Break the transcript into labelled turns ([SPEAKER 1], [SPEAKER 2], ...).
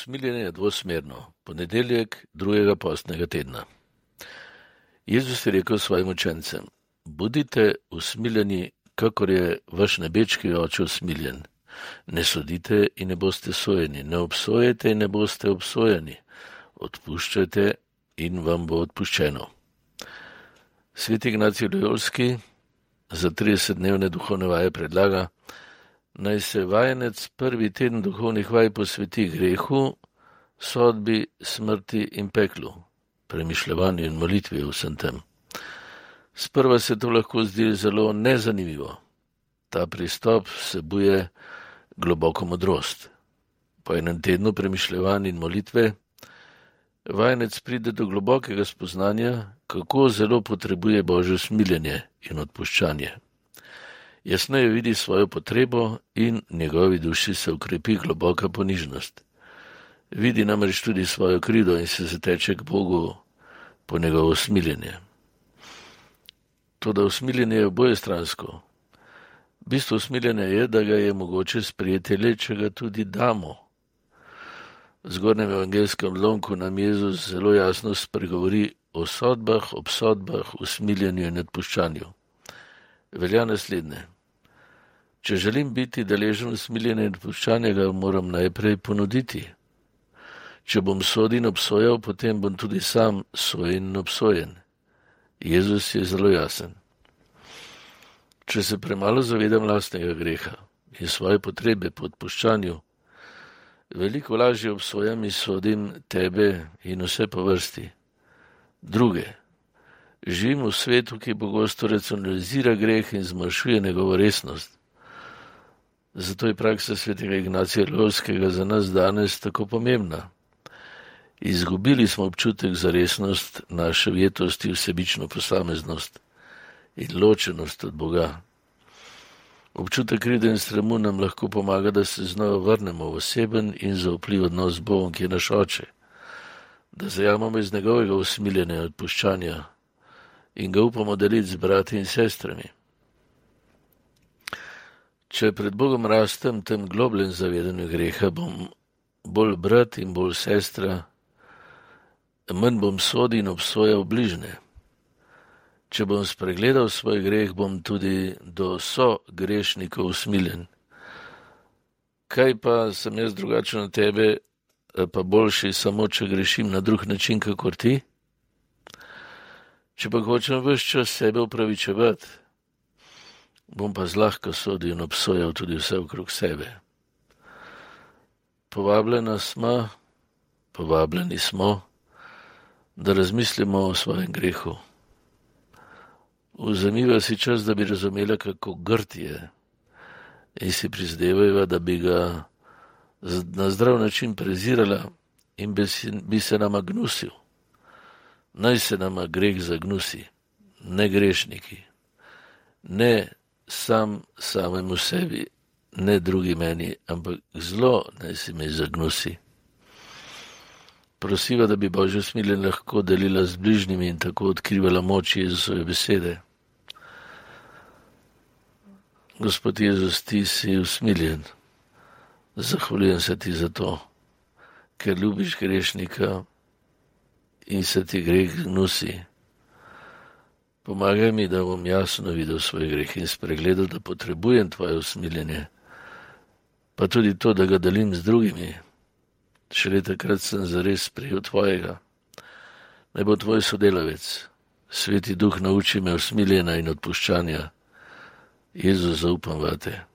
[SPEAKER 1] Usmiljenje je dvosmerno. Ponedeljek drugega postnega tedna. Jezus je rekel svojim učencem: Budite usmiljeni, kakor je vaš nebeški oče usmiljen. Ne sodite in ne boste sojeni, ne obsojajte in ne boste obsojeni. Odpuščajte in vam bo odpuščeno. Sveti Ignacij Lojolski za 30-dnevne duhovne vaje predlaga, naj se vajenec prvi teden duhovnih vaj posveti grehu, sodbi, smrti in peklu, premišljevanju in molitvi o vsem tem. Sprva se to lahko zdi zelo nezanimivo. Ta pristop vsebuje globoko modrost. Po enem tednu premišljevanj in molitve vajenec pride do globokega spoznanja, kako zelo potrebuje Božje usmiljenje in odpuščanje. Jasneje vidi svojo potrebo in njegovi duši se ukrepi globoka ponižnost. Vidi namreč tudi svojo krivdo in se zateče k Bogu po njegovo usmiljenje. Toda usmiljenje je obojestransko. Bistvo usmiljenja je, da ga je mogoče sprejeti le, če ga tudi damo. V zgornjem evangelskem odlomku nam Jezus zelo jasno spregovori o sodbah, obsodbah, usmiljenju in odpuščanju. Velja naslednje. Če želim biti deležen usmiljenja in odpuščanja, ga moram najprej ponuditi. Če bom sodil in obsojal, potem bom tudi sam sojen in obsojen. Jezus je zelo jasen. Če se premalo zavedam lastnega greha in svoje potrebe po odpuščanju, veliko lažje obsojam in sodim tebe in vse po vrsti. Druge. Živim v svetu, ki pogosto racionalizira greh in zmanjšuje njegovo resnost. Zato je praksa svetega Ignacija Lojolskega za nas danes tako pomembna. Izgubili smo občutek za resnost naše vjetosti, vsebično posameznost in ločenost od Boga. Občutek krivde in sramu nam lahko pomaga, da se znova vrnemo v oseben in zaupljiv odnos z Bogom, ki je naš oče, da zajamemo iz njegovega usmiljenja in odpuščanja in ga upamo deliti z brati in sestrami. Če pred Bogom rastem tem globljem zavedanju greha, bom bolj brat in bolj sestra, manj bom sodil in obsojal bližnje. Če bom spregledal svoj greh, bom tudi do grešnikov usmiljen. Kaj pa sem jaz drugačen od tebe, pa boljši samo, če grešim na drug način, kakor ti? Če pa hočem ves čas sebe upravičevati, bom pa zlahka sodil in obsojal tudi vse okrog sebe. Povabljeni smo, da razmislimo o svojem grehu. Vzemiva si čas, da bi razumela, kako grd je, in si prizadevajva, da bi ga na zdrav način prezirala in bi se nama gnusil. Naj se nama greh zagnusi, ne grešniki, ne samemu sebi, ne drugi meni, ampak zlo naj se mi zagnusi. Prosiva, da bi Božje usmiljenje lahko delila z bližnjimi in tako odkrivala moč Jezusove besede. Gospod Jezus, ti si usmiljen. Zahvaljujem se ti za to, ker ljubiš grešnika in se ti greh gnusi. Pomagaj mi, da bom jasno videl svoj greh in spregledal, da potrebujem tvoje usmiljenje, pa tudi to, da ga delim z drugimi. Šele takrat sem zares sprejel tvojega. Naj bo tvoj sodelavec. Sveti Duh, nauči me usmiljenja in odpuščanja. Jezus, zaupam vate.